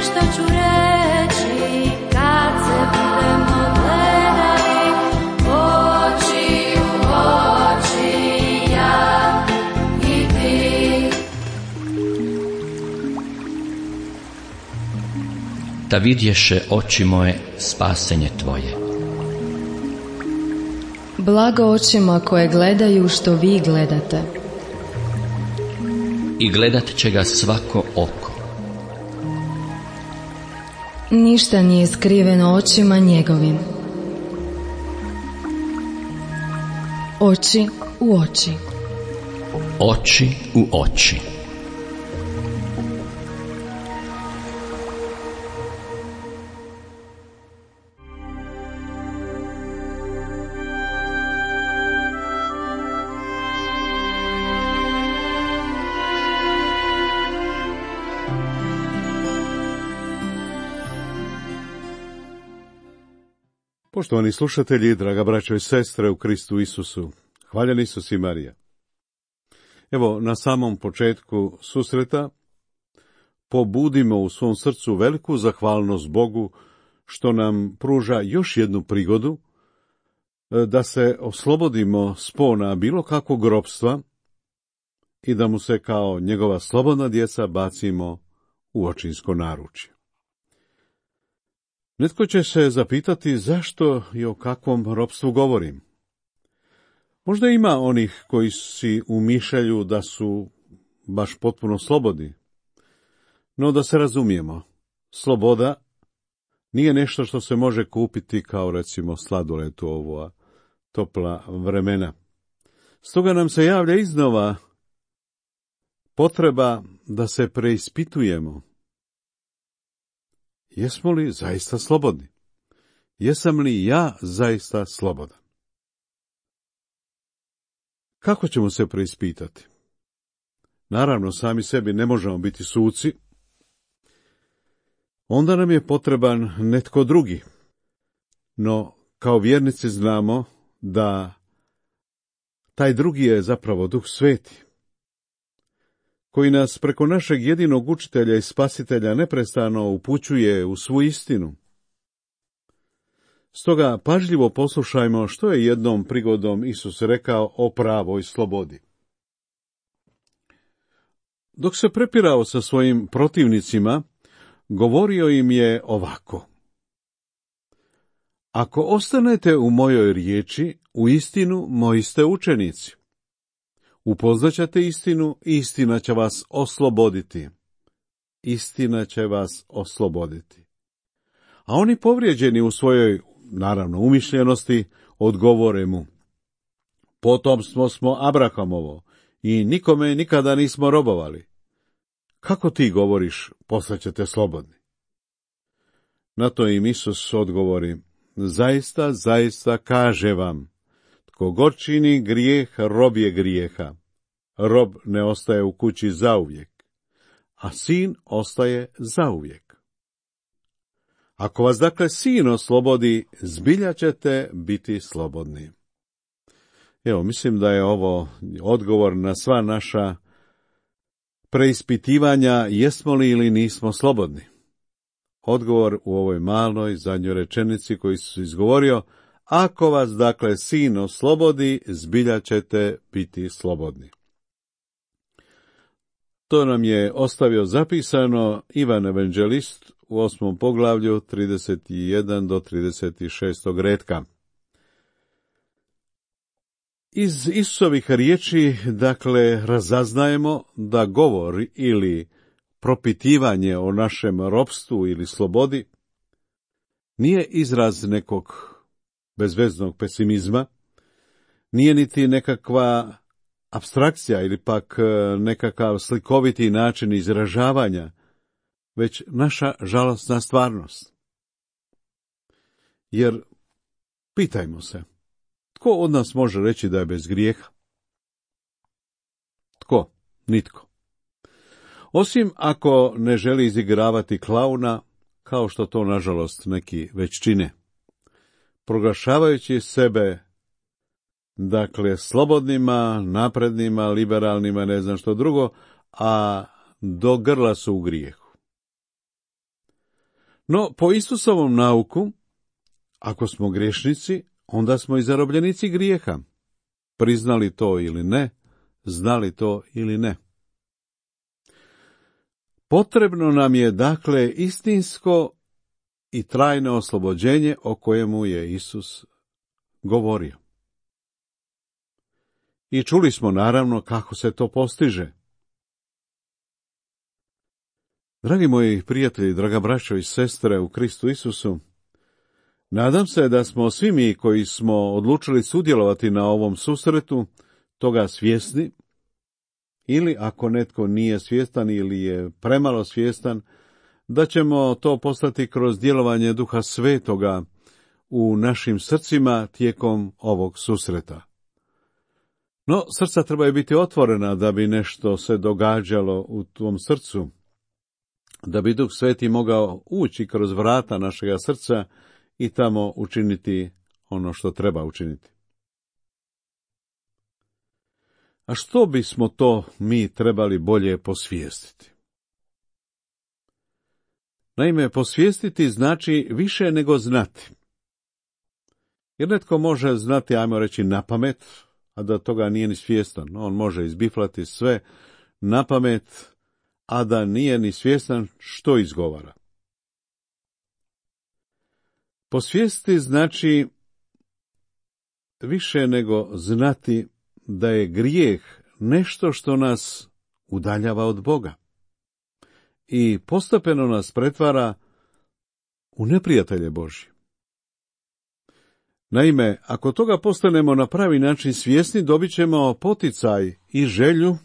što ću reći kad se budemo gledali oči u oči, ja i ti. Da vidješe oči moje spasenje tvoje. Blago očima koje gledaju što vi gledate. I gledat će ga svako oko. Ništa nije skriveno očima njegovim. Oči u oči. Oči u oči. Poštovani slušatelji, draga braćo i sestre u Kristu Isusu, hvaljen Isus i Marija. Evo, na samom početku susreta pobudimo u svom srcu veliku zahvalnost Bogu što nam pruža još jednu prigodu da se oslobodimo spona bilo kakvog ropstva i da mu se kao njegova slobodna djeca bacimo u očinsko naručje. Netko će se zapitati zašto i o kakvom ropstvu govorim. Možda ima onih koji si umišljaju da su baš potpuno slobodni. No da se razumijemo, sloboda nije nešto što se može kupiti kao recimo sladoled u ova topla vremena. Stoga nam se javlja iznova potreba da se preispitujemo. Jesmo li zaista slobodni? Jesam li ja zaista slobodan? Kako ćemo se preispitati? Naravno, sami sebi ne možemo biti suci. Onda nam je potreban netko drugi. No, kao vjernici znamo da taj drugi je zapravo Duh Sveti, koji nas preko našeg jedinog učitelja i spasitelja neprestano upućuje u svu istinu. Stoga pažljivo poslušajmo što je jednom prigodom Isus rekao o pravoj slobodi. Dok se prepirao sa svojim protivnicima, govorio im je ovako: Ako ostanete u mojoj riječi, uistinu moji ste učenici. Upoznaćete istinu i istina će vas osloboditi. Istina će vas osloboditi. A oni povrijeđeni u svojoj, naravno, umišljenosti, odgovore mu: Potomstvo smo Abrahamovo i nikome nikada nismo robovali. Kako ti govoriš, postaćete slobodni? Na to im Isus odgovori: Zaista, zaista kaže vam, tko god čini grijeh, rob je grijeha. Rob ne ostaje u kući zauvijek, a sin ostaje zauvijek. Ako vas dakle sin oslobodi, zbilja ćete biti slobodni. Evo, mislim da je ovo odgovor na sva naša preispitivanja jesmo li ili nismo slobodni. Odgovor u ovoj maloj zadnjoj rečenici koju Isus izgovorio: Ako vas dakle sin oslobodi, zbilja ćete biti slobodni. To nam je ostavio zapisano Ivan Evanđelist u 8. poglavlju 31 do 36. retka. Iz Isusovih riječi, dakle, razaznajemo da govor ili propitivanje o našem ropstvu ili slobodi nije izraz nekog bezveznog pesimizma, nije niti nekakva apstrakcija ili pak nekakav slikoviti način izražavanja, već naša žalosna stvarnost. Jer, pitajmo se, tko od nas može reći da je bez grijeha? Tko? Nitko. Osim ako ne želi izigravati klauna, kao što to nažalost neki već čine, proglašavajući sebe, dakle, slobodnima, naprednima, liberalnima, ne znam što drugo, a do grla su u grijehu. No, po Isusovom nauku, ako smo griješnici, onda smo i zarobljenici grijeha. Priznali to ili ne, znali to ili ne. Potrebno nam je, dakle, istinsko i trajno oslobođenje o kojemu je Isus govorio. I čuli smo naravno kako se to postiže. Dragi moji prijatelji, draga braćo i sestre u Kristu Isusu, nadam se da smo svi mi koji smo odlučili sudjelovati na ovom susretu toga svjesni, ili ako netko nije svjestan ili je premalo svjestan, da ćemo to postati kroz djelovanje Duha Svetoga u našim srcima tijekom ovog susreta. No, srca trebaju biti otvorena da bi nešto se događalo u tom srcu, da bi Duh Sveti mogao ući kroz vrata našega srca i tamo učiniti ono što treba učiniti. A što bismo to mi trebali bolje posvijestiti? Naime, posvijestiti znači više nego znati. Jer netko može znati, ajmo reći, napamet, a da toga nije ni svjestan. On može izbiflati sve napamet, a da nije ni svjestan što izgovara. Posvijestiti znači više nego znati da je grijeh nešto što nas udaljava od Boga i postepeno nas pretvara u neprijatelje Božje. Naime, ako toga postanemo na pravi način svjesni, dobit ćemo poticaj i želju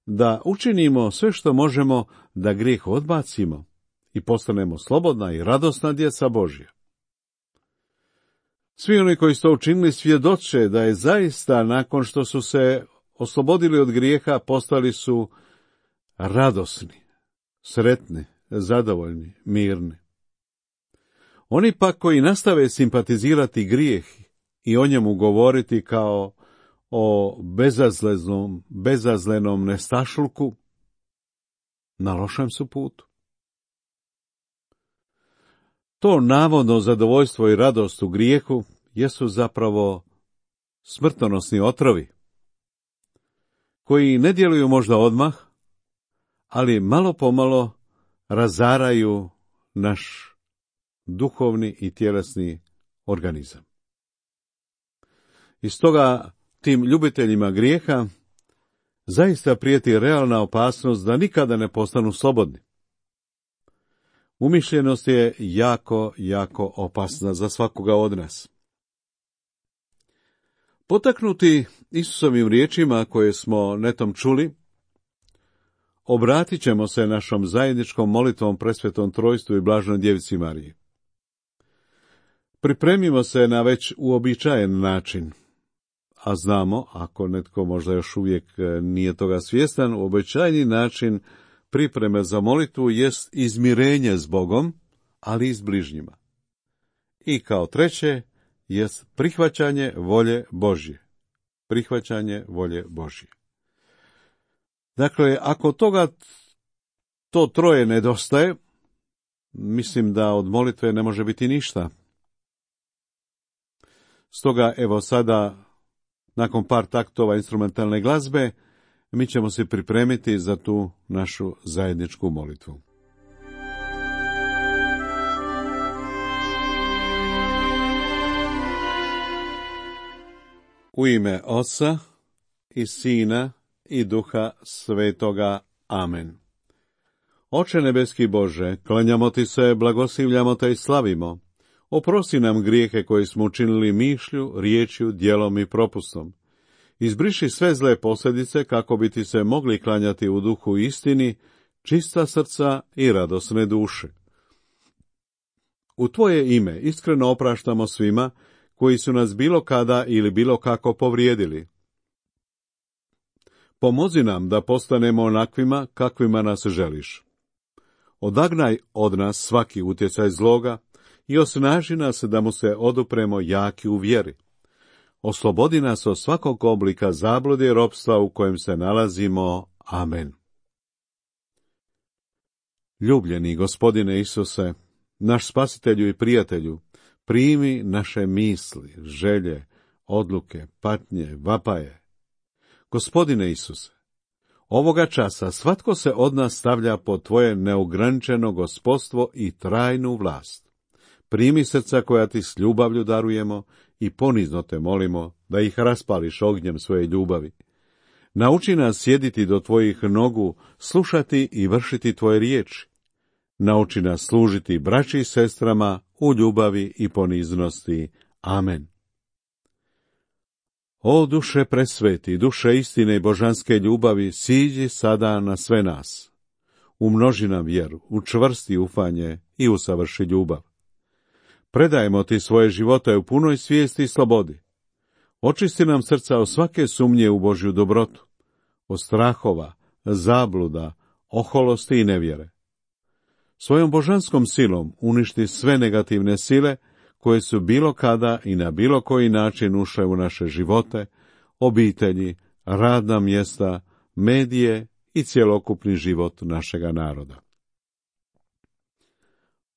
da učinimo sve što možemo da grijeh odbacimo i postanemo slobodna i radosna djeca Božja. Svi oni koji su to učinili svjedoče da je zaista nakon što su se oslobodili od grijeha postali su radosni, sretni, zadovoljni, mirni. Oni pak koji nastave simpatizirati grijeh i o njemu govoriti kao o bezazlenom nestašluku, na lošem su putu. To navodno zadovoljstvo i radost u grijehu jesu zapravo smrtonosni otrovi, koji ne djeluju možda odmah, ali malo pomalo razaraju naš duhovni i tjelesni organizam. I stoga tim ljubiteljima grijeha zaista prijeti realna opasnost da nikada ne postanu slobodni. Umišljenost je jako opasna za svakoga od nas. Potaknuti Isusovim riječima koje smo netom čuli, obratit ćemo se našom zajedničkom molitvom Presvetom Trojstvu i Blaženoj Djevici Mariji. Pripremimo se na već uobičajen način, a znamo, ako netko možda još uvijek nije toga svjestan, uobičajeni način pripreme za molitvu jest izmirenje s Bogom, ali i s bližnjima. I kao treće jest prihvaćanje volje Božje. Prihvaćanje volje Božje. Dakle, ako toga to troje nedostaje, mislim da od molitve ne može biti ništa. Stoga, evo sada, nakon par taktova instrumentalne glazbe, mi ćemo se pripremiti za tu našu zajedničku molitvu. U ime Oca i Sina i Duha Svetoga. Amen. Oče nebeski Bože, klanjamo Ti se, blagoslivljamo Te i slavimo. Oprosti nam grijehe koje smo učinili mišlju, riječju, djelom i propustom. Izbriši sve zle posljedice kako bi Ti se mogli klanjati u duhu i istini, čista srca i radosne duše. U Tvoje ime iskreno opraštamo svima koji su nas bilo kada ili bilo kako povrijedili. Pomozi nam da postanemo onakvima kakvima nas želiš. Odagnaj od nas svaki utjecaj zloga i osnaži nas da mu se odupremo jaki u vjeri. Oslobodi nas od svakog oblika zablude i ropstva u kojem se nalazimo. Amen. Ljubljeni Gospodine Isuse, Naš spasitelju i prijatelju, primi naše misli, želje, odluke, patnje, vapaje. Gospodine Isuse, ovoga časa svatko se od nas stavlja pod tvoje neograničeno gospodstvo i trajnu vlast. Primi srca koja ti s ljubavlju darujemo i ponizno te molimo da ih raspališ ognjem svoje ljubavi. Nauči nas sjediti do tvojih nogu, slušati i vršiti tvoje riječi. Nauči nas služiti braći i sestrama u ljubavi i poniznosti. Amen. O duše presveti, duše istine i božanske ljubavi, siđi sada na sve nas. Umnoži nam vjeru, učvrsti ufanje i usavrši ljubav. Predajemo ti svoje živote u punoj svijesti i slobodi. Očisti nam srca od svake sumnje u Božju dobrotu, od strahova, zabluda, oholosti i nevjere. Svojom božanskom silom uništi sve negativne sile koje su bilo kada i na bilo koji način ušle u naše živote, obitelji, radna mjesta, medije i cjelokupni život našega naroda.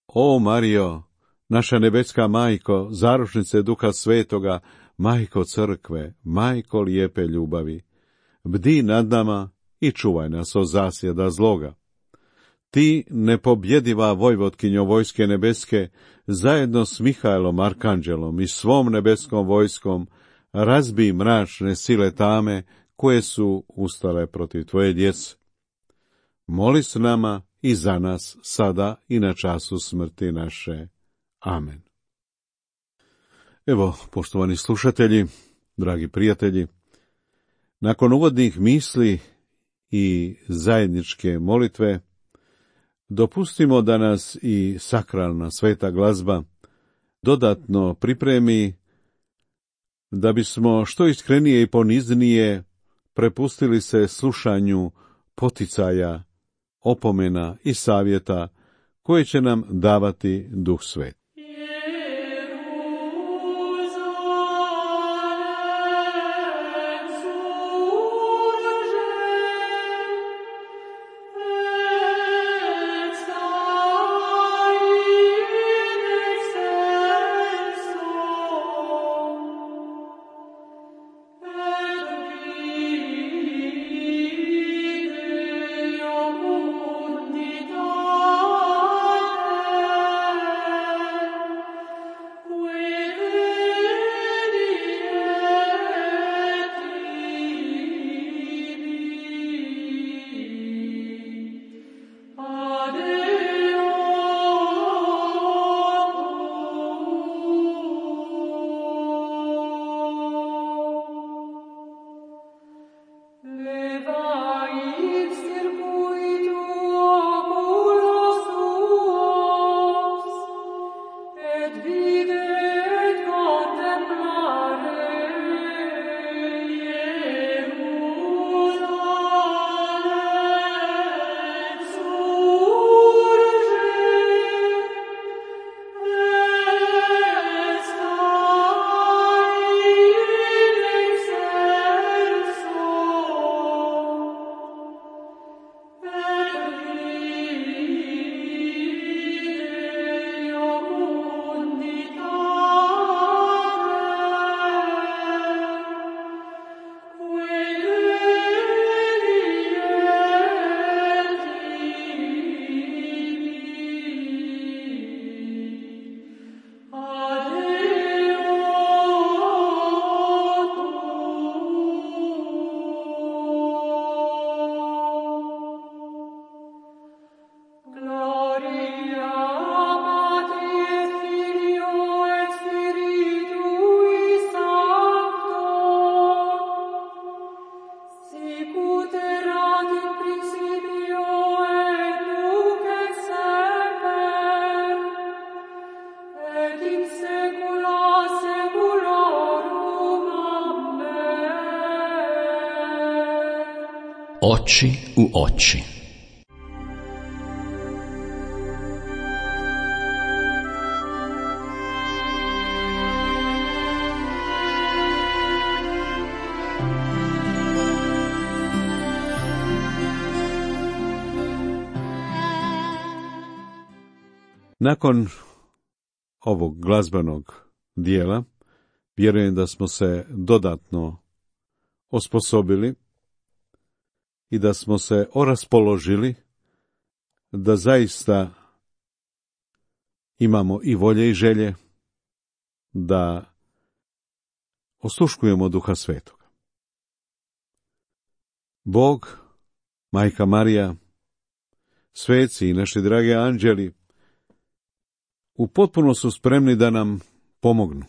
O Marijo, naša nebeska majko, zaručnice Duha Svetoga, majko crkve, majko lijepe ljubavi, bdi nad nama i čuvaj nas od zasjeda zloga. Ti, nepobjediva vojvotkinjo vojske nebeske, zajedno s Mihajlom Arkanđelom i svom nebeskom vojskom, razbij mračne sile tame koje su ustale protiv tvoje djece. Moli s nama i za nas sada i na času smrti naše. Amen. Evo, poštovani slušatelji, dragi prijatelji, nakon uvodnih misli i zajedničke molitve, dopustimo da nas i sakralna sveta glazba dodatno pripremi da bismo što iskrenije i poniznije prepustili se slušanju poticaja, opomena i savjeta koje će nam davati Duh Svet. Oči u oči. Nakon ovog glazbenog dijela, vjerujem da smo se dodatno osposobili i da smo se oraspoložili da zaista imamo i volje i želje da osluškujemo Duha Svetoga. Bog, Majka Marija, sveci i naši dragi anđeli u potpuno su spremni da nam pomognu.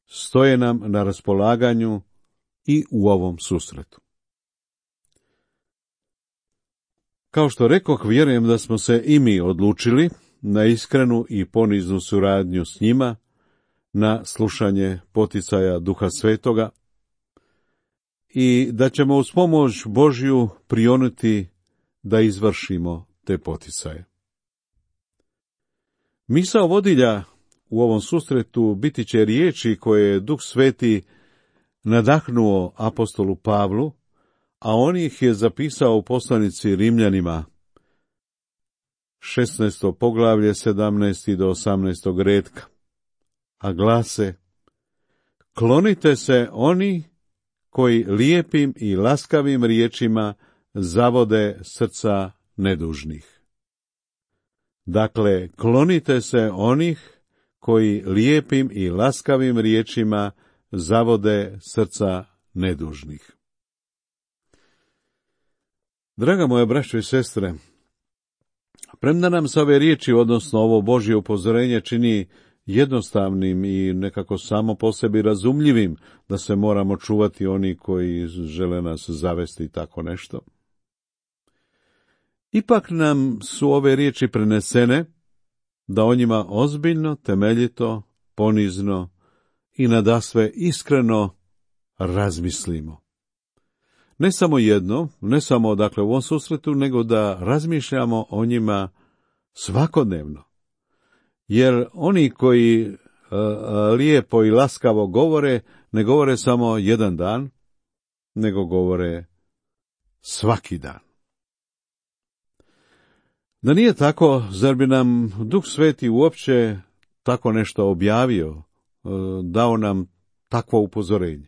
Stoje nam na raspolaganju i u ovom susretu. Kao što rekoh, vjerujem da smo se i mi odlučili na iskrenu i poniznu suradnju s njima, na slušanje poticaja Duha Svetoga i da ćemo uz pomoć Božju prionuti da izvršimo te poticaje. Misao vodilja u ovom susretu biti će riječi koje je Duh Sveti nadahnuo apostolu Pavlu, a on ih je zapisao u poslanici Rimljanima, 16. poglavlje, 17. do 18. redka, a glase: klonite se oni koji lijepim i laskavim riječima zavode srca nedužnih. Dakle, klonite se onih koji lijepim i laskavim riječima zavode srca nedužnih. Draga moja braćo i sestre, premda nam se ove riječi, odnosno ovo Božje upozorenje, čini jednostavnim i nekako samo po sebi razumljivim, da se moramo čuvati oni koji žele nas zavesti i tako nešto, ipak nam su ove riječi prenesene da o njima ozbiljno, temeljito, ponizno i nadasve iskreno razmislimo. Ne samo jedno, ne samo dakle u ovom susretu, nego da razmišljamo o njima svakodnevno. Jer oni koji lijepo i laskavo govore, ne govore samo jedan dan, nego govore svaki dan. Da nije tako, zar bi nam Duh Sveti uopće tako nešto objavio, dao nam takvo upozorenje?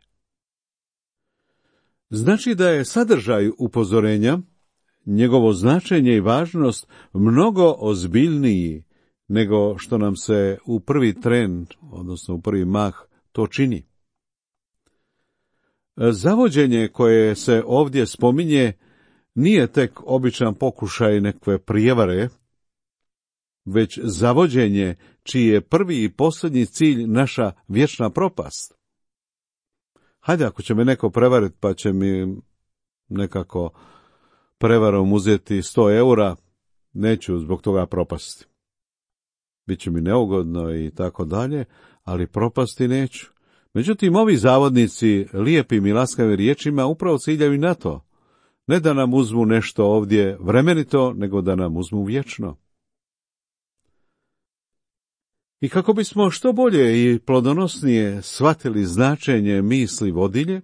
Znači da je sadržaj upozorenja, njegovo značenje i važnost mnogo ozbiljniji nego što nam se u prvi tren, odnosno u prvi mah, to čini. Zavođenje koje se ovdje spominje nije tek običan pokušaj nekve prijevare, već zavođenje čiji je prvi i posljednji cilj naša vječna propast. Hajde, ako će me neko prevariti pa će mi nekako prevarom uzeti 100 eura, neću zbog toga propasti. Biće mi neugodno i tako dalje, ali propasti neću. Međutim, ovi zavodnici lijepim i laskavim riječima upravo ciljaju na to. Ne da nam uzmu nešto ovdje vremenito, nego da nam uzmu vječno. I kako bismo što bolje i plodonosnije shvatili značenje misli vodilje,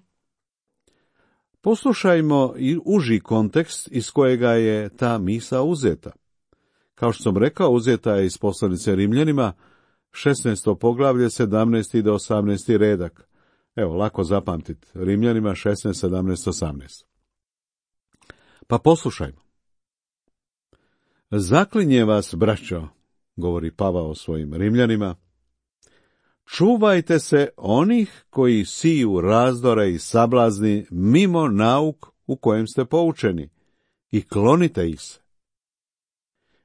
poslušajmo i uži kontekst iz kojega je ta misao uzeta. Kao što sam rekao, uzeta je iz poslanice Rimljanima, 16. poglavlje, 17. do 18. redak. Evo, lako zapamtiti. Rimljanima 16, 17, 18. Pa poslušajmo. Zaklinje vas, braćo, govori Pavao svojim Rimljanima, čuvajte se onih koji siju razdore i sablazni mimo nauk u kojem ste poučeni i klonite ih se.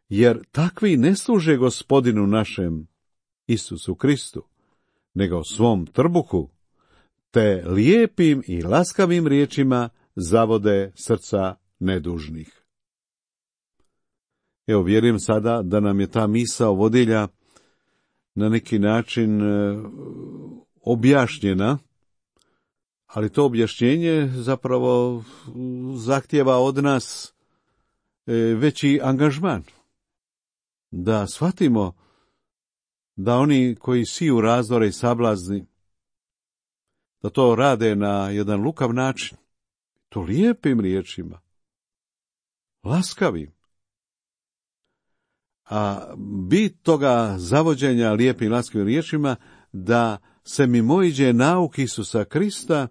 Jer takvi ne služe Gospodinu našem, Isusu Kristu, nego svom trbuhu, te lijepim i laskavim riječima zavode srca nedužnih. Evo, vjerujem sada da nam je ta misao vodilja na neki način objašnjena, ali to objašnjenje zapravo zahtijeva od nas veći angažman. Da shvatimo da oni koji siju razdore i sablazni, da to rade na jedan lukav način, to lijepim riječima, laskavim. A bit toga zavođenja lijepim laskavim riječima da se mimoiđe nauk Isusa Krista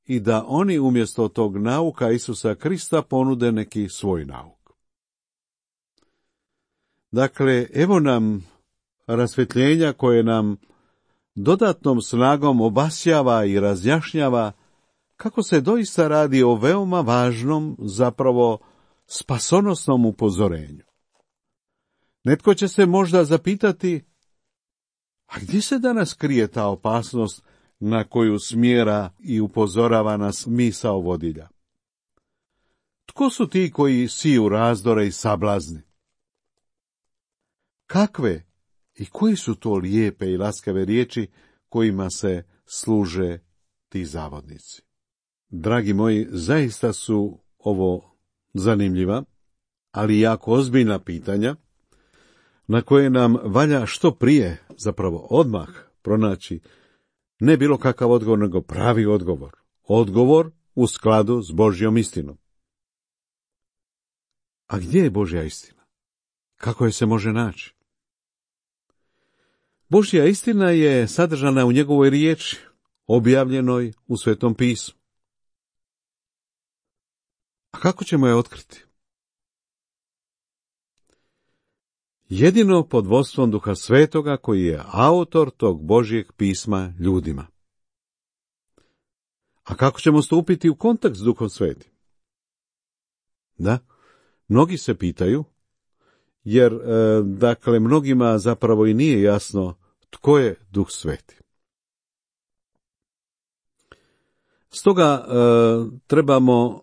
i da oni umjesto tog nauka Isusa Krista ponude neki svoj nauk. Dakle, evo nam rasvjetljenja koje nam dodatnom snagom obasjava i razjašnjava kako se doista radi o veoma važnom, zapravo spasonosnom upozorenju. Netko će se možda zapitati, a gdje se danas krije ta opasnost na koju smjera i upozorava nas misao vodilja? Tko su ti koji siju razdore i sablazni? Kakve i koji su to lijepe i laskave riječi kojima se služe ti zavodnici? Dragi moji, zaista su ovo zanimljiva, ali jako ozbiljna pitanja, na koje nam valja što prije, zapravo odmah, pronaći ne bilo kakav odgovor, nego pravi odgovor. Odgovor u skladu s Božjom istinom. A gdje je Božja istina? Kako je se može naći? Božja istina je sadržana u njegovoj riječi, objavljenoj u Svetom pismu. A kako ćemo je otkriti? Jedino pod vodstvom Duha Svetoga koji je autor tog Božjeg pisma ljudima. A kako ćemo stupiti u kontakt s Duhom Svetim? Da, mnogi se pitaju, jer dakle mnogima zapravo i nije jasno tko je Duh Sveti. Stoga trebamo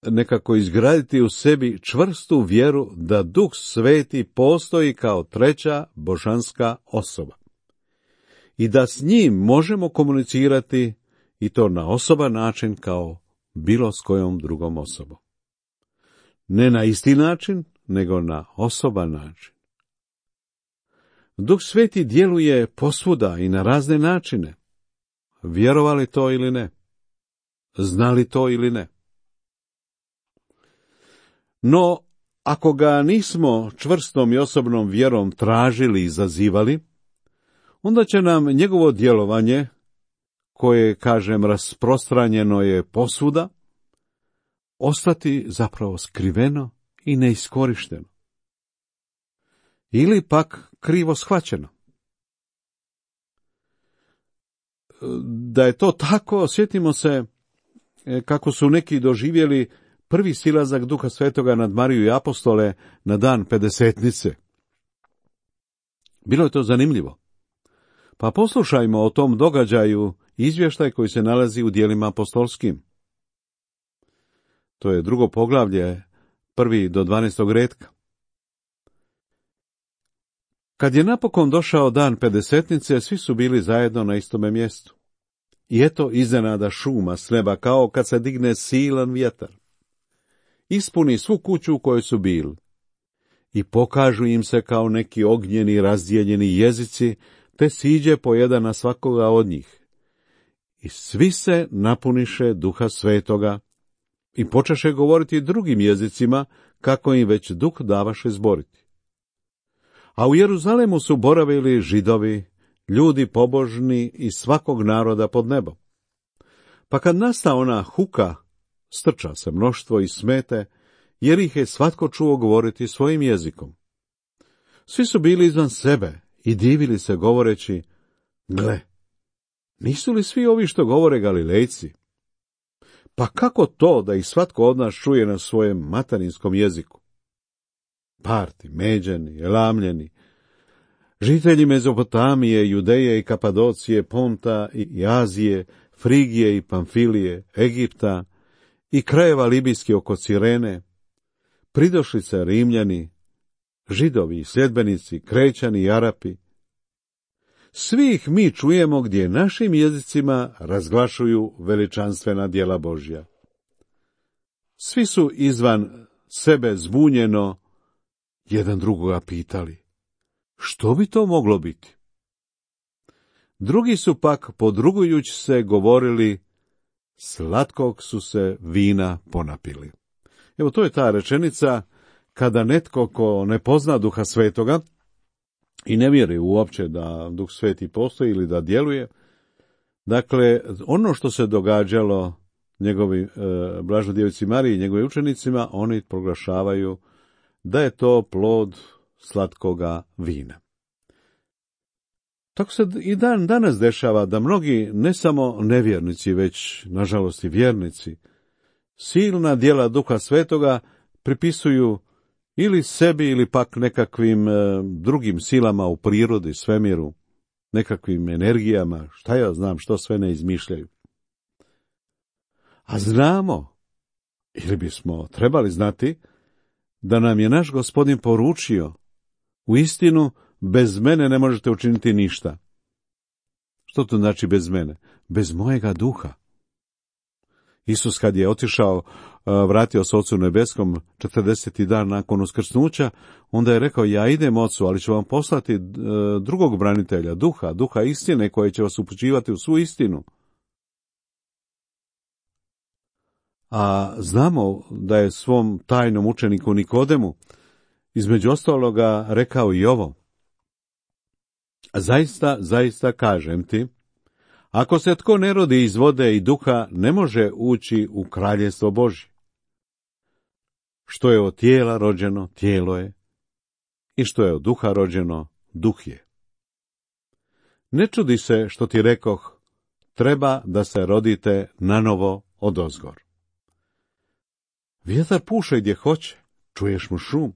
nekako izgraditi u sebi čvrstu vjeru da Duh Sveti postoji kao treća božanska osoba i da s njim možemo komunicirati i to na osoban način kao bilo s kojom drugom osobom. Ne na isti način, nego na osoban način. Duh Sveti djeluje posvuda i na razne načine. Vjerovali to ili ne? Znali to ili ne? No, ako ga nismo čvrstom i osobnom vjerom tražili i zazivali, onda će nam njegovo djelovanje, koje, kažem, rasprostranjeno je posvuda, ostati zapravo skriveno i neiskorišteno. Ili pak krivo shvaćeno. Da je to tako, sjetimo se kako su neki doživjeli prvi silazak Duha Svetoga nad Mariju i apostole na dan Pedesetnice. Bilo je to zanimljivo. Pa poslušajmo o tom događaju izvještaj koji se nalazi u djelima apostolskim. To je 2. poglavlje, 1. do 12. retka. Kad je napokon došao dan Pedesetnice, svi su bili zajedno na istome mjestu. I eto iznenada šuma s neba, kao kad se digne silan vjetar. Ispuni svu kuću u kojoj su bili. I pokažu im se kao neki ognjeni razdijeljeni jezici, te siđe po jedan na svakoga od njih. I svi se napuniše Duha Svetoga i počeše govoriti drugim jezicima, kako im već Duh davaše zboriti. A u Jeruzalemu su boravili Židovi, ljudi pobožni iz svakog naroda pod nebom. Pa kad nasta ona huka, strča se mnoštvo i smete, jer ih je svatko čuo govoriti svojim jezikom. Svi su bili izvan sebe i divili se govoreći, gle, nisu li svi ovi što govore Galilejci? Pa kako to da ih svatko od nas čuje na svojem materinjskom jeziku? Parti, Međani, Elamljeni, žitelji Mezopotamije, Judeje i Kapadocije, Ponta i Azije, Frigije i Pamfilije, Egipta i krajeva libijski oko Cirene, pridošlice Rimljani, Židovi i sljedbenici, Krećani i Arapi. Svi ih mi čujemo gdje našim jezicima razglašuju veličanstvena djela Božja. Svi su izvan sebe zbunjeno jedan drugoga pitali, što bi to moglo biti? Drugi su pak, podrugujući se, govorili, slatkog su se vina ponapili. Evo, to je ta rečenica kada netko ko ne pozna Duha Svetoga i ne vjeruje uopće da Duh Sveti postoji ili da djeluje, dakle, ono što se događalo njegovi Blažoj Djevici Mariji i njegovim učenicima, oni proglašavaju da je to plod slatkoga vina. Tako se i danas dešava da mnogi, ne samo nevjernici, već nažalost i vjernici, silna djela Duha Svetoga pripisuju ili sebi ili pak nekakvim drugim silama u prirodi, svemiru, nekakvim energijama, šta ja znam što sve ne izmišljaju. A znamo, ili bismo trebali znati, da nam je naš Gospodin poručio, u istinu, bez mene ne možete učiniti ništa. Što to znači bez mene? Bez mojega duha. Isus kad je otišao, vratio se Ocu nebeskom 40. dan nakon uskrsnuća, onda je rekao, ja idem Ocu, ali ću vam poslati drugog branitelja, duha istine, koji će vas upućivati u svu istinu. A znamo da je svom tajnom učeniku Nikodemu između ostaloga rekao i ovo. Zaista kažem ti, ako se tko ne rodi iz vode i duha, ne može ući u kraljestvo Božje. Što je od tijela rođeno, tijelo je, i što je od duha rođeno, duh je. Ne čudi se što ti rekoh, treba da se rodite nanovo odozgor. Vjetar puše gdje hoće, čuješ mu šum,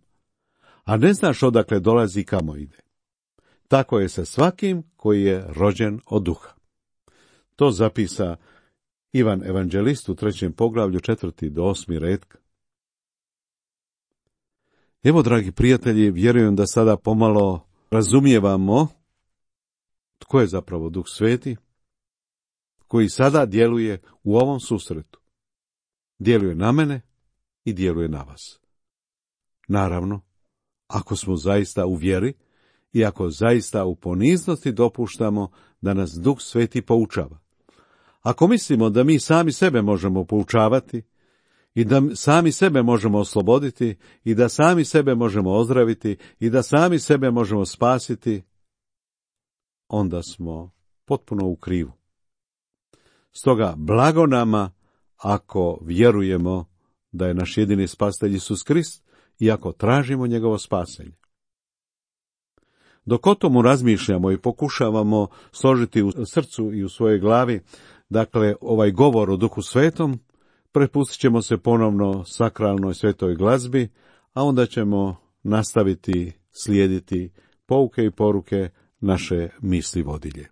a ne znaš odakle dolazi i kamo ide. Tako je sa svakim koji je rođen od duha. To zapisa Ivan Evanđelist u 3. poglavlju 4. do 8. redak. Evo, dragi prijatelji, vjerujem da sada pomalo razumijevamo tko je zapravo Duh Sveti, koji sada djeluje u ovom susretu. Djeluje na mene i djeluje na vas. Naravno, ako smo zaista u vjeri i ako zaista u poniznosti dopuštamo da nas Duh Sveti poučava. Ako mislimo da mi sami sebe možemo poučavati i da sami sebe možemo osloboditi i da sami sebe možemo ozdraviti i da sami sebe možemo spasiti, onda smo potpuno u krivu. Stoga blago nama ako vjerujemo da je naš jedini spasitelj Isus Krist i ako tražimo njegovo spasenje. Dok o tomu razmišljamo i pokušavamo složiti u srcu i u svojoj glavi, dakle, ovaj govor o Duhu Svetom, prepustit ćemo se ponovno sakralnoj svetoj glazbi, a onda ćemo nastaviti slijediti pouke i poruke naše misli vodilje.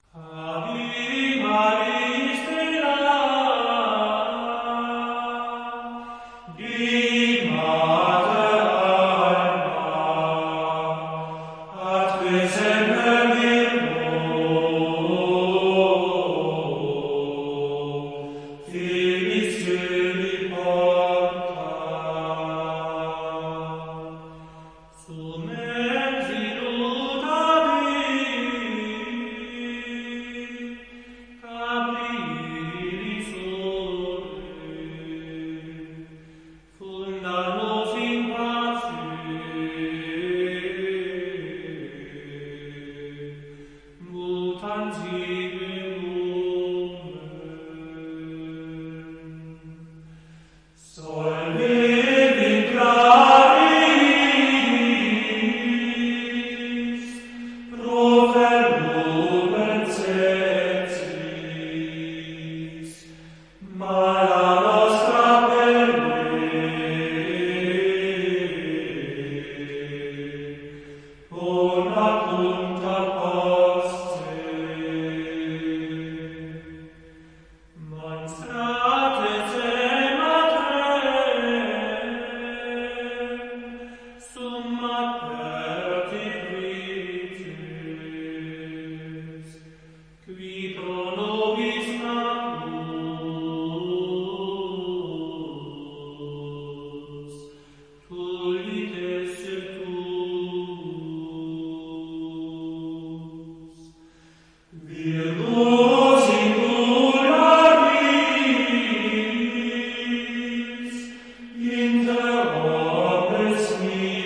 In der Ordnung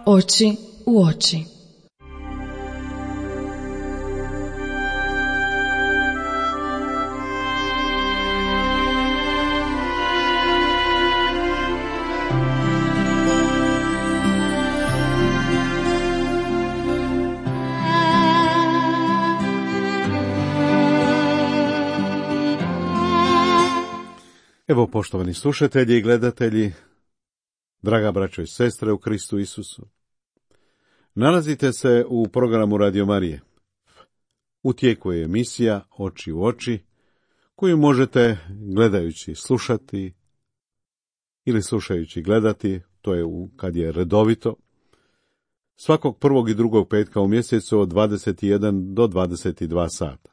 oči u oči. Evo, poštovani slušatelji i gledatelji, draga braćo i sestre u Kristu Isusu, nalazite se u programu Radio Marije. U tijeku je emisija Oči u oči, koju možete gledajući slušati ili slušajući gledati, to je kad je redovito, svakog prvog i drugog petka u mjesecu od 21 do 22 sata.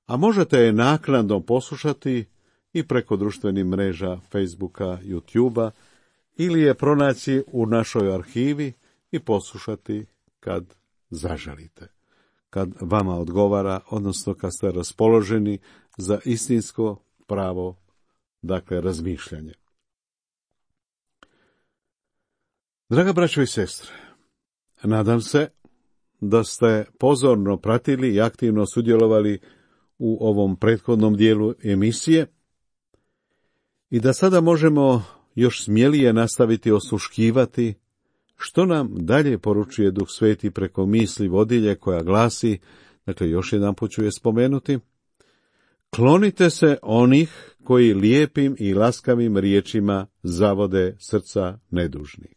A možete je naknadno poslušati i preko društvenih mreža Facebooka, YouTubea, ili je pronaći u našoj arhivi i poslušati kad zaželite, kad vama odgovara, odnosno kad ste raspoloženi za istinsko pravo, dakle razmišljanje. Draga braćo i sestre, nadam se da ste pozorno pratili i aktivno sudjelovali u ovom prethodnom dijelu emisije i da sada možemo još smjelije nastaviti osluškivati što nam dalje poručuje Duh Sveti preko misli vodilje koja glasi, dakle još jedanput ću je spomenuti: klonite se onih koji lijepim i laskavim riječima zavode srca nedužnih.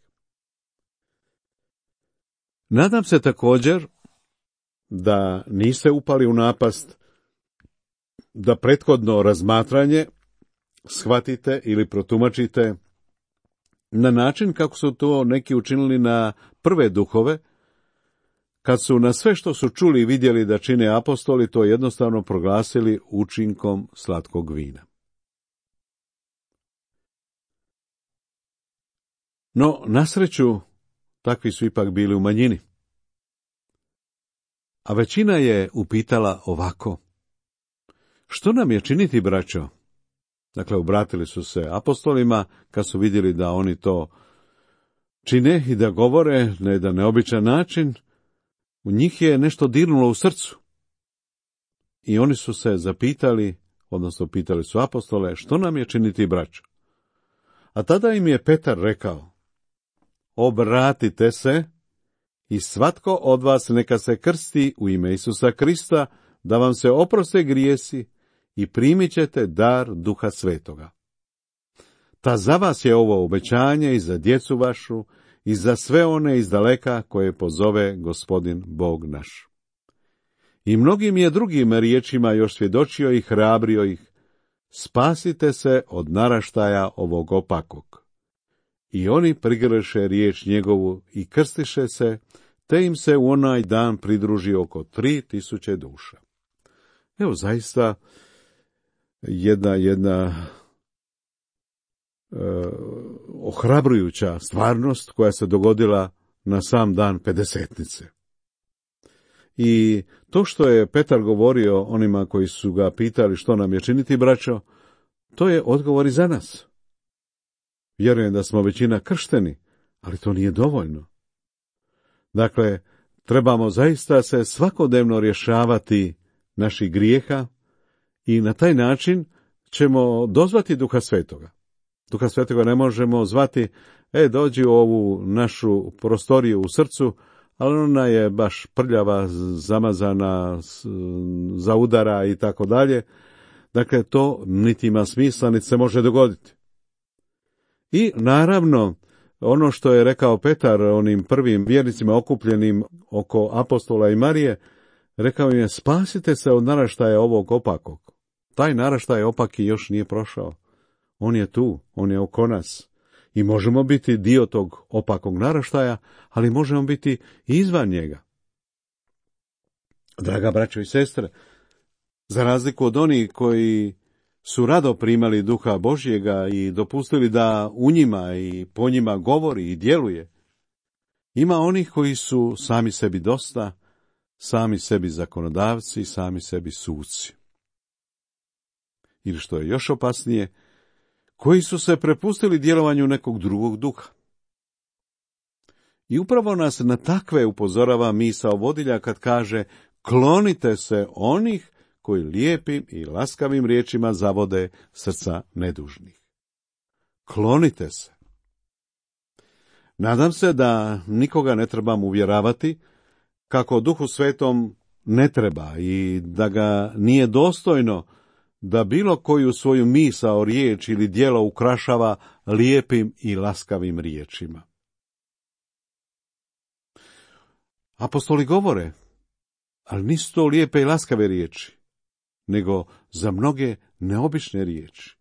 Nadam se također da niste upali u napast da prethodno razmatranje shvatite ili protumačite na način kako su to neki učinili na prve duhove, kad su na sve što su čuli i vidjeli da čine apostoli to jednostavno proglasili učinkom slatkog vina. No, na sreću, takvi su ipak bili u manjini. A većina je upitala ovako: što nam je činiti, braćo? Dakle, obratili su se apostolima kad su vidjeli da oni to čine i da govore na jedan neobičan način. U njih je nešto dirnulo u srcu. I oni su se zapitali, odnosno pitali su apostole, što nam je činiti, braćo? A tada im je Petar rekao: obratite se i svatko od vas neka se krsti u ime Isusa Krista, da vam se oproste grijesi i primit ćete dar Duha Svetoga. Ta za vas je ovo obećanje i za djecu vašu i za sve one iz daleka koje pozove Gospodin Bog naš. I mnogim je drugim riječima još svjedočio i hrabrio ih: spasite se od naraštaja ovog opakog. I oni prigrliše riječ njegovu i krstiše se, te im se u onaj dan pridruži oko 3000 duša. Evo, zaista jedna ohrabrujuća stvarnost koja se dogodila na sam dan Pedesetnice. I to što je Petar govorio onima koji su ga pitali što nam je činiti, braćo, to je odgovor i za nas. Vjerujem da smo većina kršteni, ali to nije dovoljno. Dakle, trebamo zaista se svakodnevno rješavati naših grijeha i na taj način ćemo dozvati Duha Svetoga. Duha Svetoga ne možemo zvati: dođi u ovu našu prostoriju u srcu, ali ona je baš prljava, zamazana, zaudara i tako dalje. Dakle, to niti ima smisla, niti se može dogoditi. I naravno, ono što je rekao Petar onim prvim vjernicima okupljenim oko apostola i Marije, rekao im je: spasite se od naraštaja ovog opakog. Taj naraštaj opaki još nije prošao. On je tu, on je oko nas. I možemo biti dio tog opakog naraštaja, ali možemo biti i izvan njega. Draga braćo i sestre, za razliku od onih koji su rado primali Duha Božjega i dopustili da u njima i po njima govori i djeluje, ima onih koji su sami sebi dosta, sami sebi zakonodavci, sami sebi suci. Ili što je još opasnije, koji su se prepustili djelovanju nekog drugog duha. I upravo nas na takve upozorava misao vodilja kad kaže: klonite se onih koji lijepim i laskavim riječima zavode srca nedužnih. Klonite se. Nadam se da nikoga ne trebam uvjeravati kako Duhu Svetom ne treba i da ga nije dostojno da bilo koju svoju misao, riječ ili djelo ukrašava lijepim i laskavim riječima. Apostoli govore, ali nisu to lijepe i laskave riječi, nego za mnoge neobične riječi,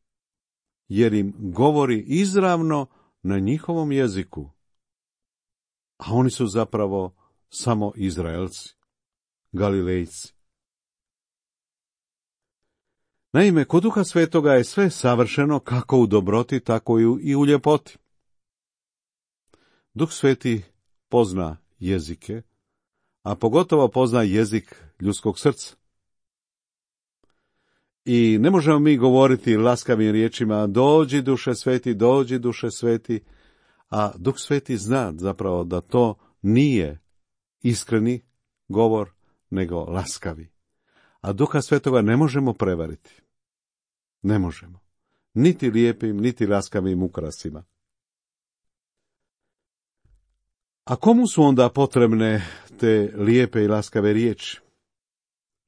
jer im govori izravno na njihovom jeziku, a oni su zapravo samo Izraelci, Galilejci. Naime, kod Duha Svetoga je sve savršeno kako u dobroti, tako i u ljepoti. Duh Sveti pozna jezike, a pogotovo pozna jezik ljudskog srca. I ne možemo mi govoriti laskavim riječima: dođi Duše Sveti, dođi Duše Sveti, a Duh Sveti zna zapravo da to nije iskreni govor, nego laskavi. A Duha Svetoga ne možemo prevariti. Ne možemo. Niti lijepim, niti laskavim ukrasima. A komu su onda potrebne te lijepe i laskave riječi?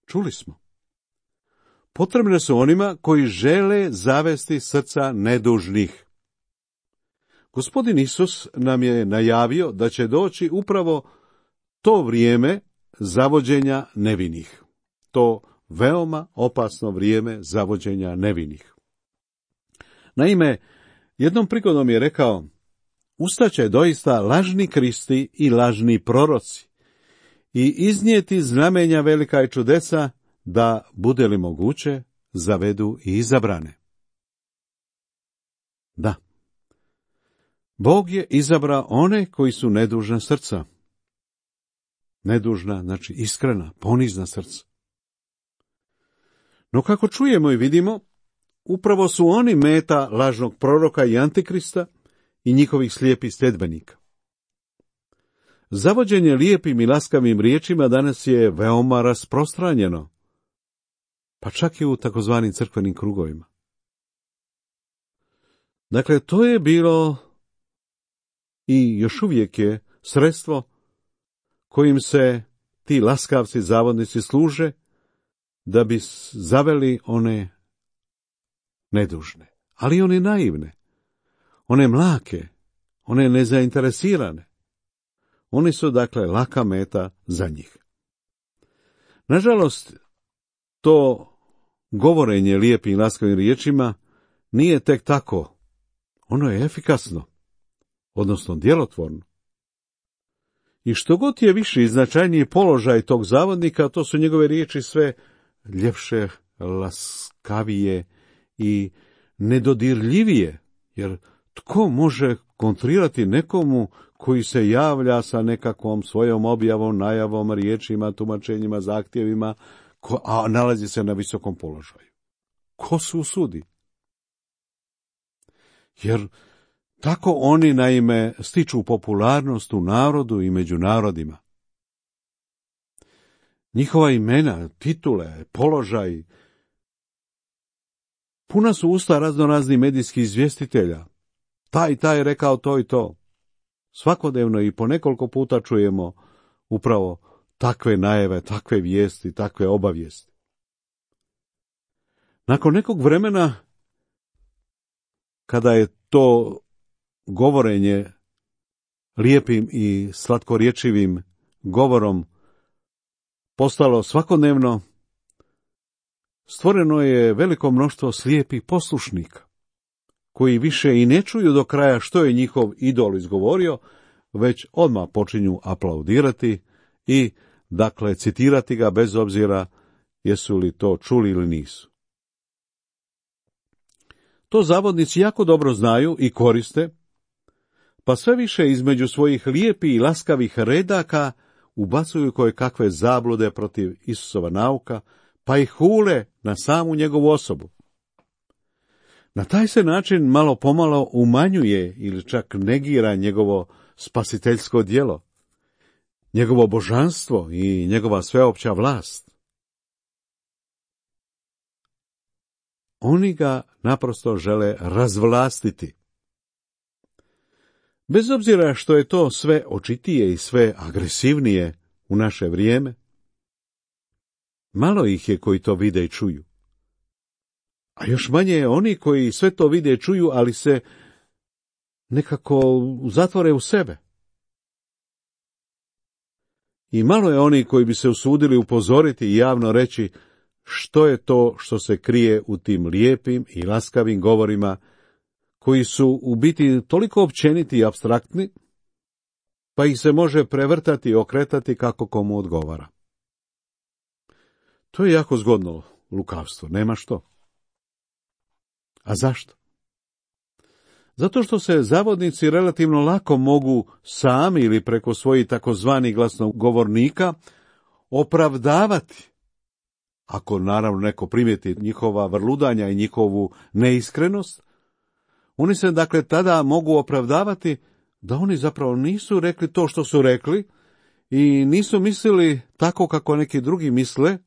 Čuli smo. Potrebne su onima koji žele zavesti srca nedužnih. Gospodin Isus nam je najavio da će doći upravo to vrijeme zavođenja nevinih. To veoma opasno vrijeme zavođenja nevinih. Naime, jednom prigodom je rekao: ustaće doista lažni Kristi i lažni proroci i iznijeti znamenja velika i čudesa, da, bude li moguće, zavedu i izabrane. Da, Bog je izabrao one koji su nedužna srca. Nedužna, znači iskrena, ponizna srca. No kako čujemo i vidimo, upravo su oni meta lažnog proroka i antikrista i njihovih slijepih sljedbenika. Zavođenje lijepim i laskavim riječima danas je veoma rasprostranjeno, pa čak i u takozvanim crkvenim krugovima. Dakle, to je bilo i još uvijek je sredstvo kojim se ti laskavci, zavodnici služe da bi zaveli one nedužne, ali one naivne, one mlake, one nezainteresirane. Oni su dakle laka meta za njih. Nažalost, to govorenje lijepim i laskavim riječima nije tek tako. Ono je efikasno, odnosno djelotvorno. I što god je viši i značajniji položaj tog zavodnika, to su njegove riječi sve ljepše, laskavije i nedodirljivije, jer tko može kontrirati nekomu koji se javlja sa nekakvom svojom objavom, najavom, riječima, tumačenjima, zahtjevima, a nalazi se na visokom položaju? Ko se usudi? Jer tako oni naime stiču popularnost u narodu i među narodima. Njihova imena, titule, položaj, puna su usta raznoraznih medijskih izvjestitelja. Taj je rekao to i to. Svakodnevno i po nekoliko puta čujemo upravo takve najave, takve vijesti, takve obavijesti. Nakon nekog vremena, kada je to govorenje lijepim i slatkorječivim govorom postalo svakodnevno, stvoreno je veliko mnoštvo slijepih poslušnika, koji više i ne čuju do kraja što je njihov idol izgovorio, već odmah počinju aplaudirati i, dakle, citirati ga bez obzira jesu li to čuli ili nisu. To zavodnici jako dobro znaju i koriste, pa sve više između svojih lijepih i laskavih redaka ubacuju koje kakve zablude protiv Isusova nauka, pa ih hule na samu njegovu osobu. Na taj se način malo pomalo umanjuje ili čak negira njegovo spasiteljsko djelo, njegovo božanstvo i njegova sveopća vlast. Oni ga naprosto žele razvlastiti. Bez obzira što je to sve očitije i sve agresivnije u naše vrijeme, malo ih je koji to vide i čuju. A još manje je oni koji sve to vide i čuju, ali se nekako zatvore u sebe. I malo je oni koji bi se usudili upozoriti i javno reći što je to što se krije u tim lijepim i laskavim govorima, koji su u biti toliko općeniti i apstraktni, pa ih se može prevrtati i okretati kako komu odgovara. To je jako zgodno lukavstvo, nema što. A zašto? Zato što se zavodnici relativno lako mogu sami ili preko svojih takozvanih glasnogovornika opravdavati, ako naravno neko primijeti njihova vrludanja i njihovu neiskrenost. Oni se dakle tada mogu opravdavati da oni zapravo nisu rekli to što su rekli i nisu mislili tako kako neki drugi misle,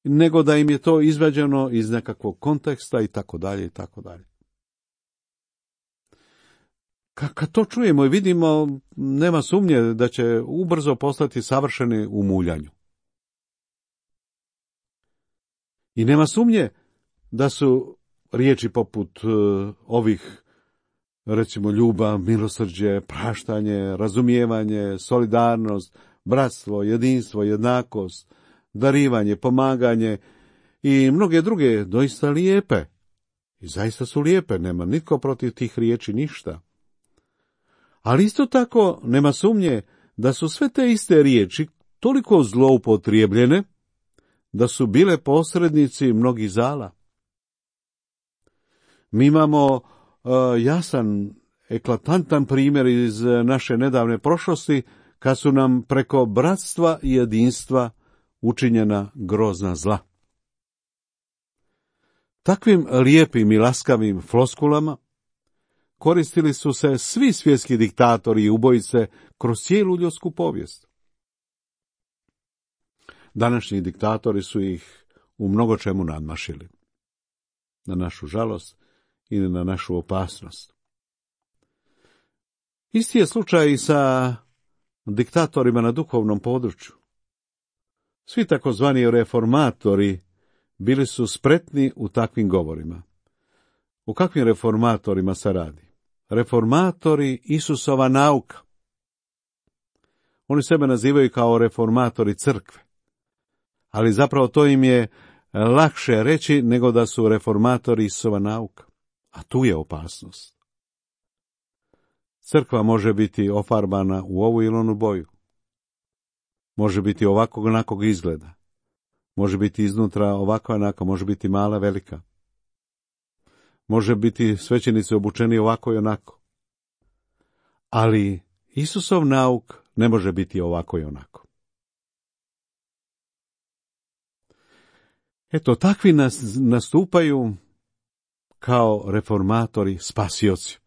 nego da im je to izvađeno iz nekakvog konteksta i tako dalje i tako dalje. Kad to čujemo i vidimo, nema sumnje da će ubrzo postati savršeni u muljanju. I nema sumnje da su riječi poput ovih, recimo, ljubav, milosrđe, praštanje, razumijevanje, solidarnost, bratstvo, jedinstvo, jednakost, darivanje, pomaganje i mnoge druge doista lijepe. I zaista su lijepe, nema nitko protiv tih riječi ništa. Ali isto tako nema sumnje da su sve te iste riječi toliko zloupotrijebljene da su bile posrednici mnogih zala. Mi imamo jasan, eklatantan primjer iz naše nedavne prošlosti, kad su nam preko bratstva i jedinstva učinjena grozna zla. Takvim lijepim i laskavim floskulama koristili su se svi svjetski diktatori i ubojice kroz cijelu ljudsku povijest. Današnji diktatori su ih u mnogo čemu nadmašili, na našu žalost i na našu opasnost. Isti je slučaj i sa diktatorima na duhovnom području. Svi takozvani reformatori bili su spretni u takvim govorima. O kakvim reformatorima se radi? Reformatori Isusova nauka. Oni sebe nazivaju kao reformatori crkve, ali zapravo to im je lakše reći nego da su reformatori Isusova nauka. A tu je opasnost. Crkva može biti ofarbana u ovu ili onu boju. Može biti ovakvog onakvog izgleda. Može biti iznutra ovakva onaka, može biti mala, velika. Može biti svećenici obučeni ovako i onako. Ali Isusov nauk ne može biti ovako i onako. Eto, takvi nastupaju kao reformatori spasioci.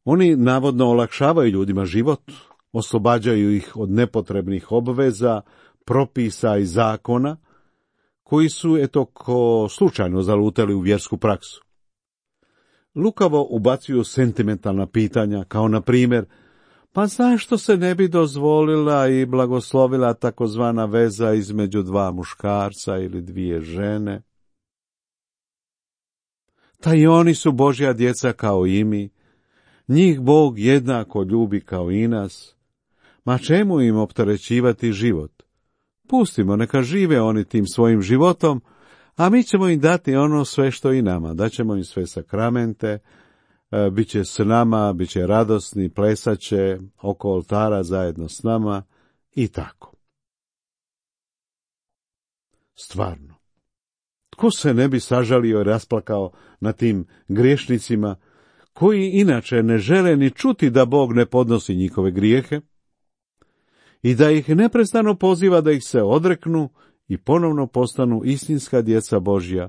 Oni navodno olakšavaju ljudima život, oslobađaju ih od nepotrebnih obveza, propisa i zakona, koji su, ko slučajno zalutali u vjersku praksu. Lukavo ubacuju sentimentalna pitanja, kao na primjer, pa zašto se ne bi dozvolila i blagoslovila takozvana veza između dva muškarca ili dvije žene? Ta i oni su Božja djeca kao i mi, njih Bog jednako ljubi kao i nas. Ma čemu im opterećivati život? Pustimo, neka žive oni tim svojim životom, a mi ćemo im dati ono sve što i nama. Daćemo im sve sakramente, bit će s nama, bit će radosni, plesaće oko oltara zajedno s nama i tako. Stvarno, tko se ne bi sažalio i rasplakao na tim griješnicima, koji inače ne žele ni čuti da Bog ne podnosi njihove grijehe i da ih neprestano poziva da ih se odreknu i ponovno postanu istinska djeca Božja,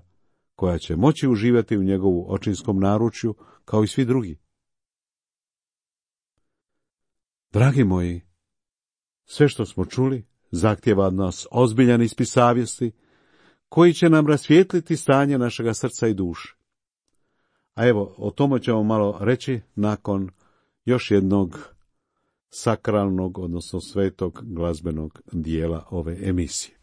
koja će moći uživati u njegovu očinskom naručju kao i svi drugi. Dragi moji, sve što smo čuli zahtijeva od nas ozbiljan ispit savjesti, koji će nam rasvijetliti stanje našega srca i duše. A evo, o tome ćemo malo reći nakon još jednog sakralnog, odnosno svetog glazbenog dijela ove emisije.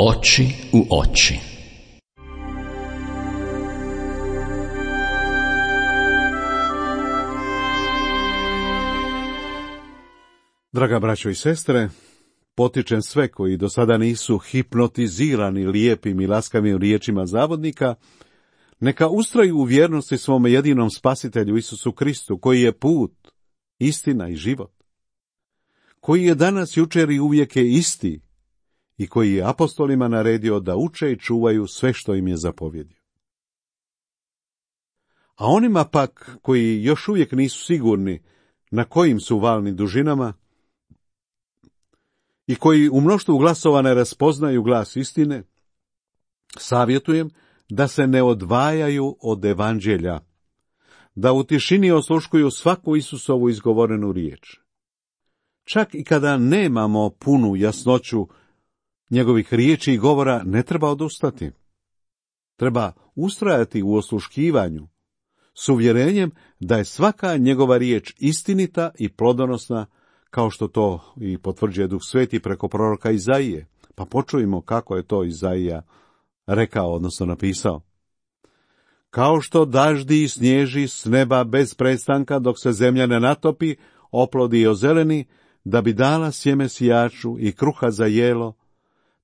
Oči u oči. Draga braćo i sestre, potičem sve koji do sada nisu hipnotizirani lijepim i laskavim riječima zavodnika, neka ustraju u vjernosti svome jedinom spasitelju Isusu Kristu, koji je put, istina i život, koji je danas, jučer i uvijek je isti, i koji je apostolima naredio da uče i čuvaju sve što im je zapovjedio. A onima pak, koji još uvijek nisu sigurni na kojim su valnim dužinama i koji u mnoštvu glasova ne raspoznaju glas istine, savjetujem da se ne odvajaju od evanđelja, da u tišini osluškuju svaku Isusovu izgovorenu riječ. Čak i kada nemamo punu jasnoću njegovih riječi i govora, ne treba odustati. Treba ustrajati u osluškivanju, s uvjerenjem da je svaka njegova riječ istinita i plodonosna, kao što to i potvrđuje Duh Sveti preko proroka Izaije. Pa počujmo kako je to Izaija rekao, odnosno napisao. Kao što daždi i snježi s neba bez prestanka dok se zemlja ne natopi, oplodi i ozeleni, da bi dala sjeme sijaču i kruha za jelo,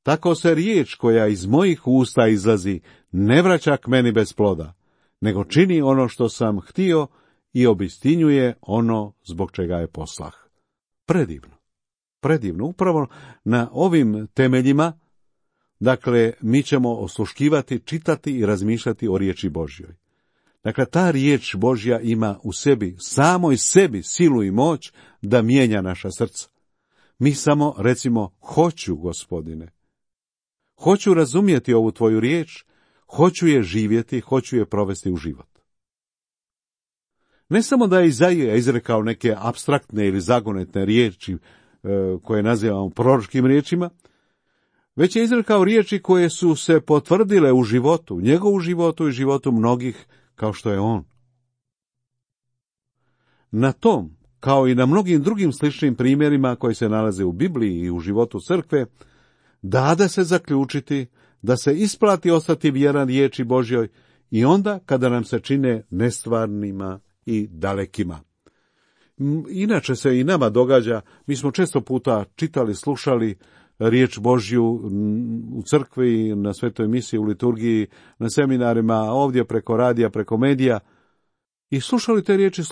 tako se riječ koja iz mojih usta izlazi ne vraća k meni bez ploda, nego čini ono što sam htio i obistinjuje ono zbog čega je poslah. Predivno, predivno. Upravo na ovim temeljima, dakle, mi ćemo osluškivati, čitati i razmišljati o riječi Božjoj. Dakle, ta riječ Božja ima u sebi, samoj sebi, silu i moć da mijenja naša srca. Mi samo recimo, hoću, Gospodine. Hoću razumjeti ovu tvoju riječ, hoću je živjeti, hoću je provesti u život. Ne samo da je Izaija izrekao neke apstraktne ili zagonetne riječi koje nazivamo proročkim riječima, već je izrekao riječi koje su se potvrdile u životu, njegovu životu i životu mnogih kao što je on. Na tom, kao i na mnogim drugim sličnim primjerima koji se nalaze u Bibliji i u životu crkve, dade se zaključiti da se isplati ostati vjeran riječi Božjoj i onda kada nam se čine nestvarnima i dalekima. Inače se i nama događa, mi smo često puta čitali, slušali riječ Božju u crkvi, na svetoj misiji, u liturgiji, na seminarima, ovdje preko radija, preko medija, i slušali te riječi,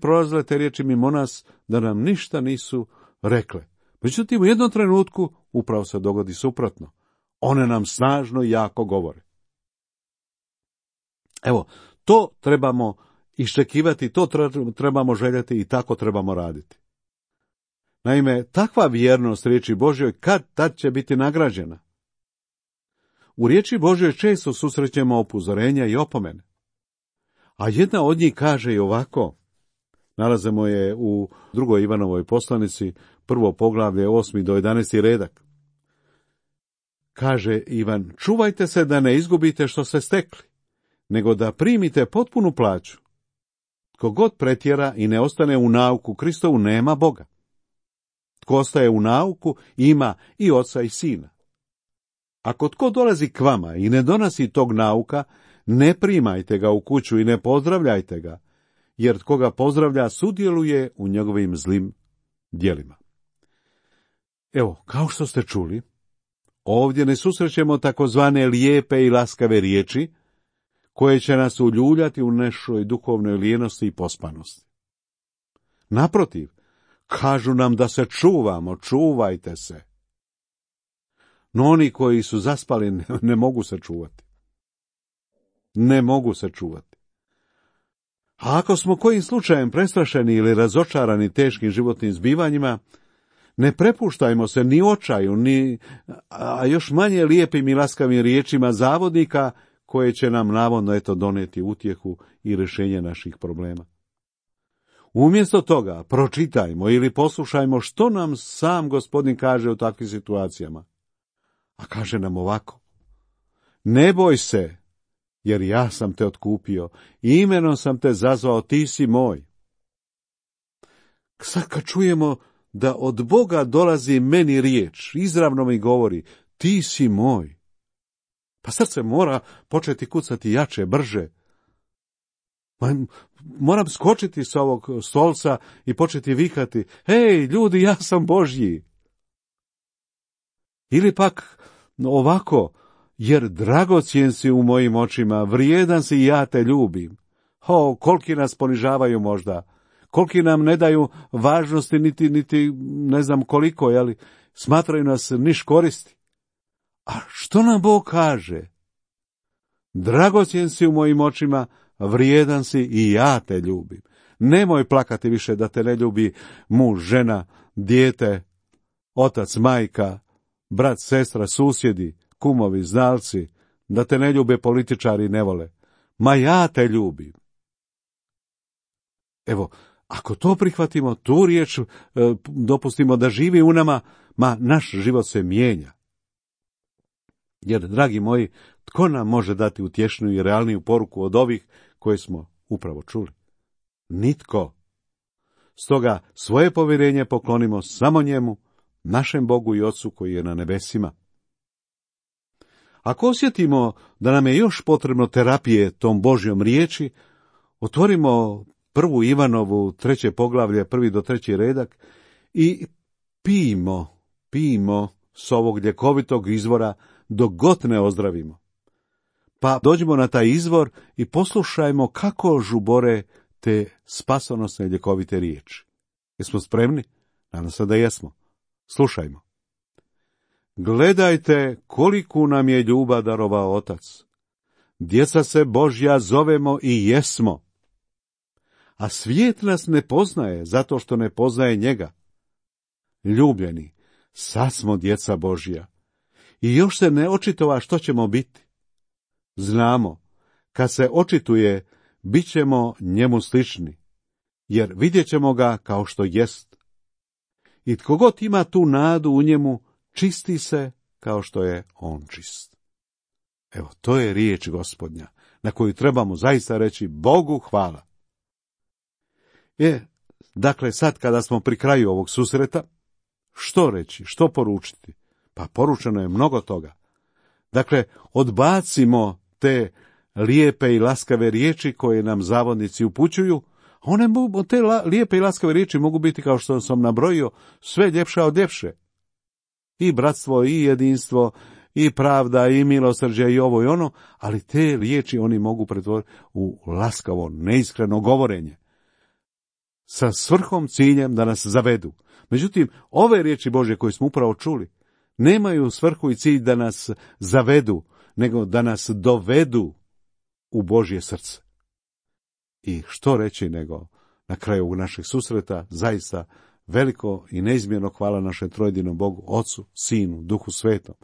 prolazile te riječi mimo nas, da nam ništa nisu rekle. Međutim, u jednom trenutku upravo se dogodi suprotno. One nam snažno i jako govore. Evo, to trebamo iščekivati, to trebamo željeti i tako trebamo raditi. Naime, takva vjernost riječi Božjoj kad će biti nagrađena. U riječi Božjoj često susrećemo upozorenja i opomene. A jedna od njih kaže i ovako, nalazimo je u 2. Ivanovoj poslanici, 1. poglavlje, 8. do 11. redak. Kaže Ivan, čuvajte se da ne izgubite što ste stekli, nego da primite potpunu plaću. Tko god pretjera i ne ostane u nauku Kristovu, nema Boga. Tko ostaje u nauku, ima i oca i sina. Ako tko dolazi k vama i ne donosi tog nauka, ne primajte ga u kuću i ne pozdravljajte ga, jer tko ga pozdravlja sudjeluje u njegovim zlim djelima. Evo, kao što ste čuli, ovdje ne susrećemo takozvane lijepe i laskave riječi, koje će nas uljuljati u našoj duhovnoj lijenosti i pospanosti. Naprotiv, kažu nam da se čuvamo, čuvajte se. No oni koji su zaspali ne mogu se čuvati. Ne mogu se čuvati. A ako smo kojim slučajem prestrašeni ili razočarani teškim životnim zbivanjima, ne prepuštajmo se ni očaju, a još manje lijepim i laskavim riječima zavodnika, koje će nam navodno donijeti utjehu i rješenje naših problema. Umjesto toga pročitajmo ili poslušajmo što nam sam Gospodin kaže u takvim situacijama. A kaže nam ovako: ne boj se, jer ja sam te otkupio, imenom sam te zazvao, ti si moj. Sad kad čujemo da od Boga dolazi meni riječ, izravno mi govori, ti si moj, pa srce mora početi kucati jače, brže. Moram skočiti s ovog stolca i početi vikati, hej, ljudi, ja sam Božji. Ili pak ovako, jer dragocjen si u mojim očima, vrijedan si i ja te ljubim. Koliki nas ponižavaju možda, koliki nam ne daju važnosti, niti ne znam koliko, ali smatraju nas niš koristi. A što nam Bog kaže? Dragocjen si u mojim očima, vrijedan si i ja te ljubim. Nemoj plakati više da te ne ljubi muž, žena, dijete, otac, majka, brat, sestra, susjedi, kumovi, znalci, da te ne ljube političari i ne vole. Ma ja te ljubim. Evo, ako to prihvatimo, tu riječ dopustimo da živi u nama, naš život se mijenja. Jer, dragi moji, tko nam može dati utješniju i realniju poruku od ovih koje smo upravo čuli? Nitko. Stoga svoje povjerenje poklonimo samo njemu, našem Bogu i Ocu koji je na nebesima. Ako osjetimo da nam je još potrebno terapije tom Božjom riječi, otvorimo 1. Ivanovu 3. poglavlje, 1. do 3. redak i pijmo s ovog ljekovitog izvora dok god ne ozdravimo. Pa dođimo na taj izvor i poslušajmo kako žubore te spasonosne ljekovite riječi. Jesmo spremni? Nadam se da jesmo. Slušajmo. Gledajte koliku nam je ljubav darovao Otac. Djeca se Božja zovemo i jesmo. A svijet nas ne poznaje zato što ne poznaje njega. Ljubljeni, sad smo djeca Božja. I još se ne očitova što ćemo biti. Znamo, kad se očituje, bit ćemo njemu slični, jer vidjet ćemo ga kao što jest. I tko god ima tu nadu u njemu, čisti se kao što je on čist. Evo, to je riječ Gospodnja, na koju trebamo zaista reći Bogu hvala. Dakle, sad kada smo pri kraju ovog susreta, što reći, što poručiti? Pa poručeno je mnogo toga. Dakle, odbacimo te lijepe i laskave riječi koje nam zavodnici upućuju. Te lijepe i laskave riječi mogu biti, kao što sam nabrojio, sve ljepša od ljepše. I bratstvo, i jedinstvo, i pravda, i milosrđe, i ovo i ono, ali te riječi oni mogu pretvoriti u laskavo, neiskreno govorenje. Sa svrhom, ciljem da nas zavedu. Međutim, ove riječi Božje koje smo upravo čuli, nemaju svrhu i cilj da nas zavedu, nego da nas dovedu u Božje srce. I što reći nego na kraju ovog našeg susreta, zaista veliko i neizmjerno hvala našem trojedinom Bogu, Ocu, Sinu, Duhu Svetom.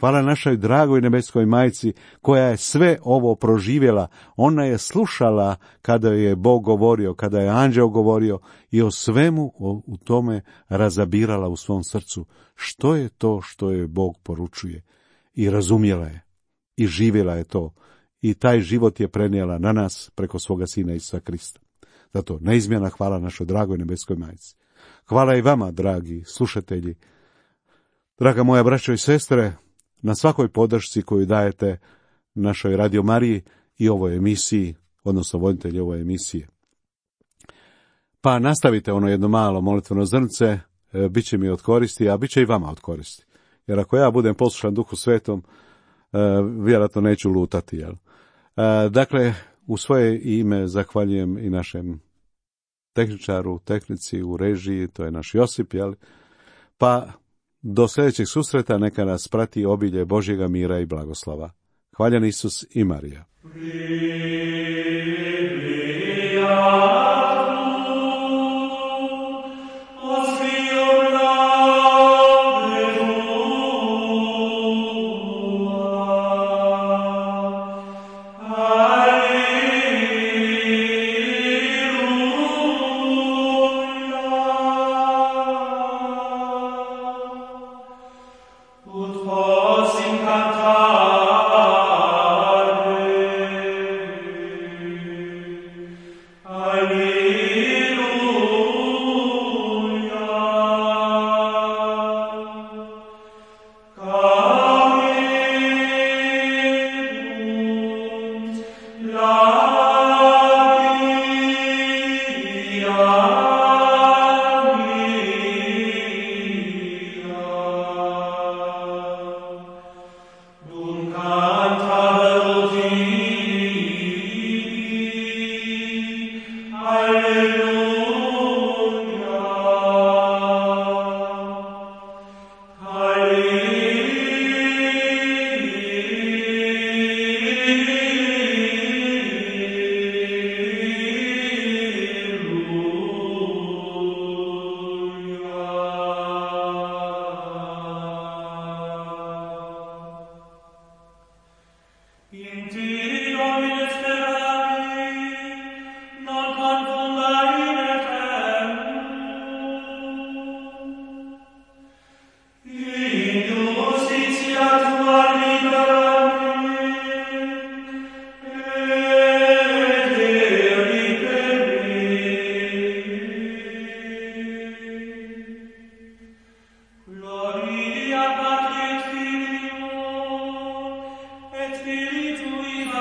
Hvala našoj dragoj nebeskoj majci koja je sve ovo proživjela. Ona je slušala kada je Bog govorio, kada je anđeo govorio i o svemu u tome razabirala u svom srcu. Što je to što je Bog poručuje? I razumjela je. I živjela je to. I taj život je prenijela na nas preko svoga Sina Isusa Krista. Zato neizmjerna hvala našoj dragoj nebeskoj majci. Hvala i vama, dragi slušatelji. Draga moja braćo i sestre, na svakoj podršci koju dajete našoj Radio Mariji i ovoj emisiji, odnosno voditelji ove emisije. Pa nastavite ono jedno malo molitveno zrnce, bit će mi od koristi, a bit će i vama od koristi. Jer ako ja budem poslušan Duhu Svetom, vjerojatno neću lutati. Jel? Dakle, u svoje ime zahvaljujem i našem tehničaru, tehnici u režiji, to je naš Josip, jel? Pa do sljedećeg susreta neka nas prati obilje Božjega mira i blagoslova. Hvaljen Isus i Marija. Gloria Patri et Filio et Spiritui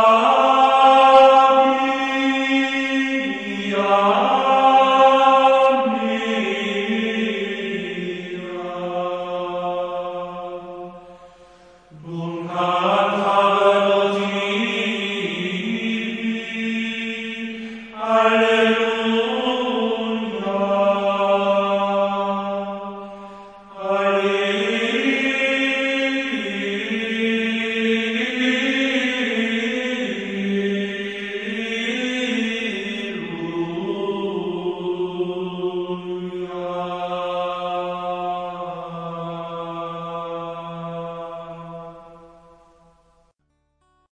Amen.